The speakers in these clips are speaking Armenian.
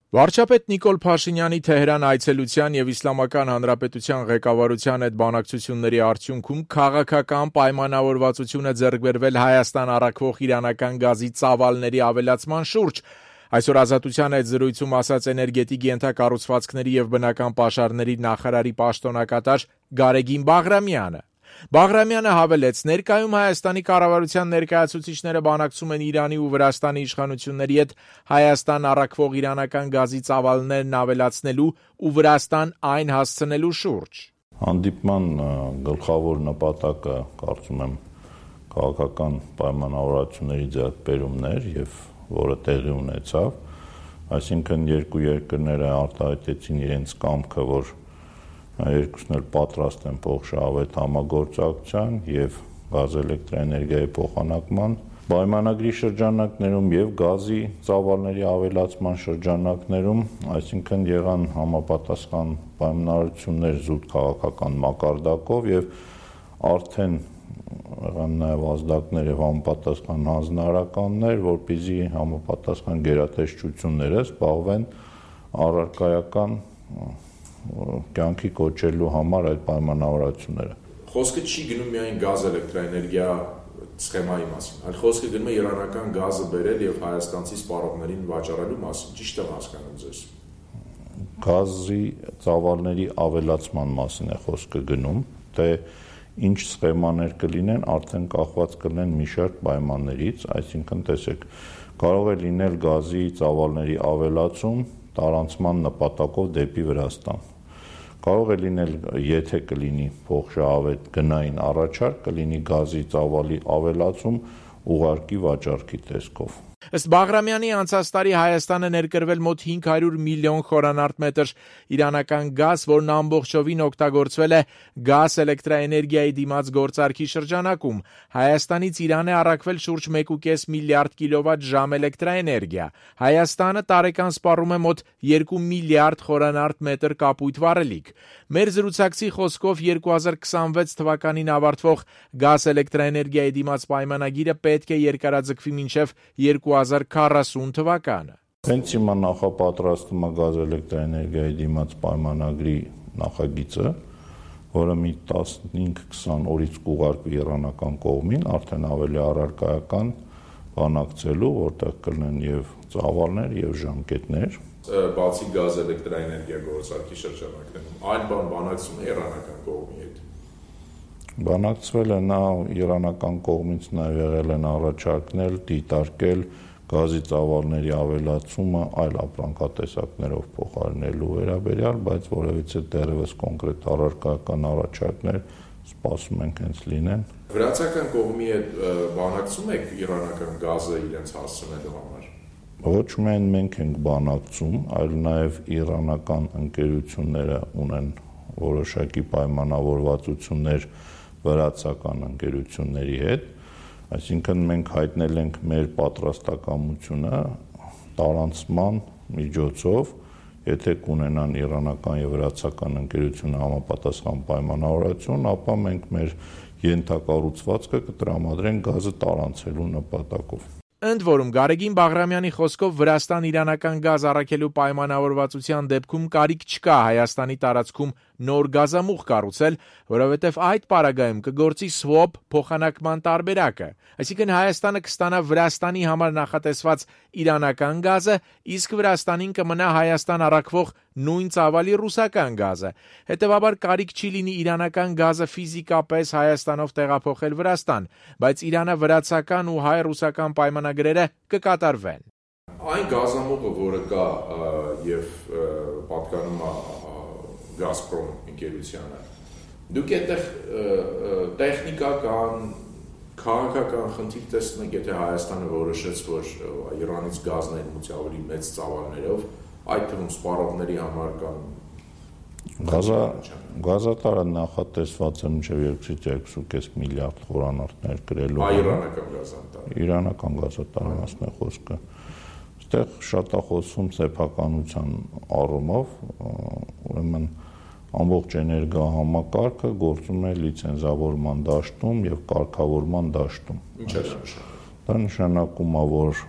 Վարչապետ Նիկոլ Փաշինյանի Թեհրան այցելության եւ Իսլամական Հանրապետության ղեկավարության հետ բանակցությունների արդյունքում քաղաքական պայմանավորվածություն է ձեռք բերվել Հայաստան առաքվող իրանական գազի ծավալների ավելացման շուրջ։ Այսօր Ազատության հետ զրույցում ասաց էներգետիկ ենթակառուցվածքների եւ բնական պաշարների նախարարի պաշտոնակատար Գարեգին Բաղրամյանը։ Բաղրամյանը հավելեց, ներկայում Հայաստանի կառավարության ներկայացուցիչները բանակցում են Իրանի ու Վրաստանի իշխանությունների հետ Հայաստան առաքվող իրանական գազի ծավալներն ավելացնելու ու Վրաստան այն հասցնելու շուրջ։ Հանդիպման գլխավոր նպատակը, կարծում եմ, քաղաքական պայմանավորվածությունների ձեռքբերումներ եւ որը տեղի ունեցավ, այսինքն երկու երկրները արտահայտեցին իրենց կամքը, որ երկուսն էլ պատրաստ են փոխշահավետ համագործակցության եւ գազ էլեկտրաէներգիայի փոխանակման պայմանագրի շրջանակներում եւ գազի ծավալների ավելացման շրջանակներում, այսինքն եղան համապատասխան պայմանավորություններ զուտ քաղաքական մակարդակով եւ արդեն եղան նաեւ ազդակներ եւ համապատասխան հանձնարարականներ, որպեսզի համապատասխան գերատեսչությունները զբաղվեն առարկայական կյանքի կոչելու համար այդ պայմանավորվածությունները։ Խոսքը չի գնում միայն գազ էլեկտրաէներգիա սխեմայի մասին, այլ խոսքը գնում է իրանական գազը բերել եւ հայաստանցի սպառողներին վաճառելու մասին, ճիշտ եմ հասկանում ձեզ։ Գազի ծավալների ավելացման մասին է խոսքը գնում, թե ինչ սխեմաներ կլինեն, արդեն կախված կլինեն մի շարք պայմաններից, այսինքն տեսեք, կարող է լինել գազի ծավալների ավելացում տարանցման նպատակով դեպի Վրաստան։ Կարող է լինել, եթե կլինի փոխշահավետ գնային առաջարկ, կլինի գազի ծավալի ավելացում ուղարկի վաճառքի տեսքով։ Ըստ Բաղրամյանի անցած տարի Հայաստանը ներկրվել մոտ 500 միլիոն խորանարդ մետր իրանական գազ, որն ամբողջովին օգտագործվել է գազ էլեկտրաէներգիայի դիմաց գործարքի շրջանակում։ Հայաստանից Իրան է առաքվել շուրջ 1.5 միլիարդ կիլովատ-ժամ էլեկտրաէներգիա։ Հայաստանը տարեկան սպառում է մոտ 2 միլիարդ խորանարդ մետր կապույտ վառելիք։ Մեր զրուցակցի խոսքով 2026 թվականին ավարտվող գազ էլեկտրաէներգիայի դիմաց պայմանագիրը պետք է երկարաձգվի մինչև 2040 թվականը։ Հենց հիմա նախապատրաստում է գազ էլեկտրաէներգիայի դիմաց պայմանագրի նախագիծը, որը մի 15-20 օրից կուղարկվի իրանական կողմին, արդեն ավելի առարկայական բանակցելու, որտեղ կլինեն եւ ծավալներ եւ ժամկետներ։ Բացի գազ էլեկտրաէներգիա գործարքի շրջանակներում, այլ բանակցում է իրանական կողմի հետ։ Բանակցվել է նա իրանական կողմից նաև եղել են առաջարկներ դիտարկել գազի ծավալների ավելացումը այլ ապրանքատեսակներով փոխարինելու վերաբերյալ, բայց որևիցե դեռևս կոնկրետ առարկայական առաջարկներ սպասում ենք հենց լինեն։ Վրացական կողմի հետ բանակցում եք իրանական գազը իրենց հասցնելու համար։ Ոչ միայն մենք ենք բանակցում, այլ նաև իրանական ընկերությունները ունեն որոշակի պայմանավորվածություններ վրացական ընկերությունների հետ, այսինքն մենք հայտնել ենք մեր պատրաստակամությունը տարանցման միջոցով, եթե կունենան իրանական եւ վրացական ընկերությունը համապատասխան պայմանավորվածություն, ապա մենք մեր ենթակառուցվածքը կտրամադրենք գազը տարանցելու նպատակով։ Ընդ որում Գարեգին Բաղրամյանի խոսքով Վրաստան-իրանական գազ առաքելու պայմանավորվածության դեպքում կարիք չկա Հայաստանի տարածքում նոր գազամուղ կառուցել, որովհետև այդ պարագայում կգործի swap փոխանակման տարբերակը, այսինքն Հայաստանը կստանա Վրաստանի համար նախատեսված իրանական գազը, իսկ Վրաստանին կմնա Հայաստան առաքվող նույն ծավալի ռուսական գազը։ Հետևաբար կարիք չի լինի իրանական գազը ֆիզիկապես Հայաստանով տեղափոխել Վրաստան, բայց Իրանը վրացական ու հայ-ռուսական պայմանագրերը կկատարվեն։ Այն գազամուղը, որը կա եւ պատկանում է Գազպրոմ ընկերությանը, դուք այդտեղ տեխնիկական, քաղաքական խնդիր տեսնեք, եթե Հայաստանը որոշեց, որ Իրանից գազն ներմուծի ավելի մեծ ծավալներով, այդ թվում սպառողների համար կամ Գազատարը նախատեսված է մինչև 2.5 միլիարդ խորանարդներ գրելու։ Իրանական գազատարը։ Իրանական գազատարի մասն է խոսքը։ Այստեղ շատ է խոսվում սեփականության առումով, ուրեմն ամբողջ էներգահամակարգը գործում է լիցենզավորման դաշտում եւ կարգավորման դաշտում։ Ինչ է նշանակում։ Դա նշանակում է, որ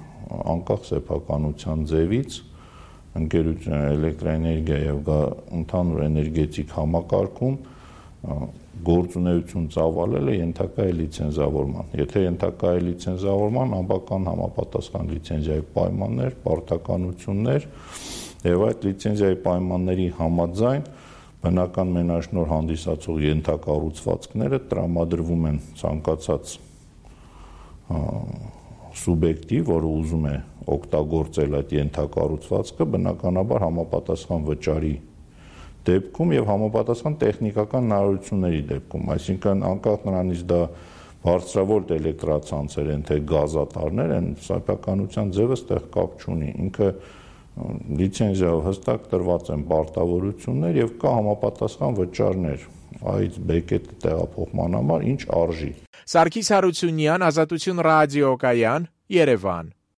անկախ սեփականության ձևից ընկերություն էլեկտրաէներգիա եւ ընդհանուր էներգետիկ համակարգում գործունեություն ծավալելը ենթակա է լիցենզավորման։ Եթե ենթակա է լիցենզավորման, անբական համապատասխան լիցենզիայի պայմաններ, պարտականություններ եւ այդ լիցենզիայի պայմանների համաձայն բնական մենաշնոր հանդիսացող ենթակառուցվածքները տրամադրվում են ցանկացած սուբյեկտի, որը ուզում է օգտագործել այդ ենթակառուցվածքը, բնականաբար համապատասխան վճարի դեպքում եւ համապատասխան տեխնիկական հնարավորությունների դեպքում, այսինքն անկախ նրանից դա բարձրավոլտ էլեկտրացանցեր են, թե գազատարներ են, սեփականության ձևը ստեղ կապ չունի, ինքը լիցենզիայով հստակ տրված են պարտավորություններ եւ կա համապատասխան վճարներ այդ բեկետը տեղափոխման համար ինչ արժի։ Սարգիս Հարությունյան, Ազատություն ռադիոկայան, Երևան։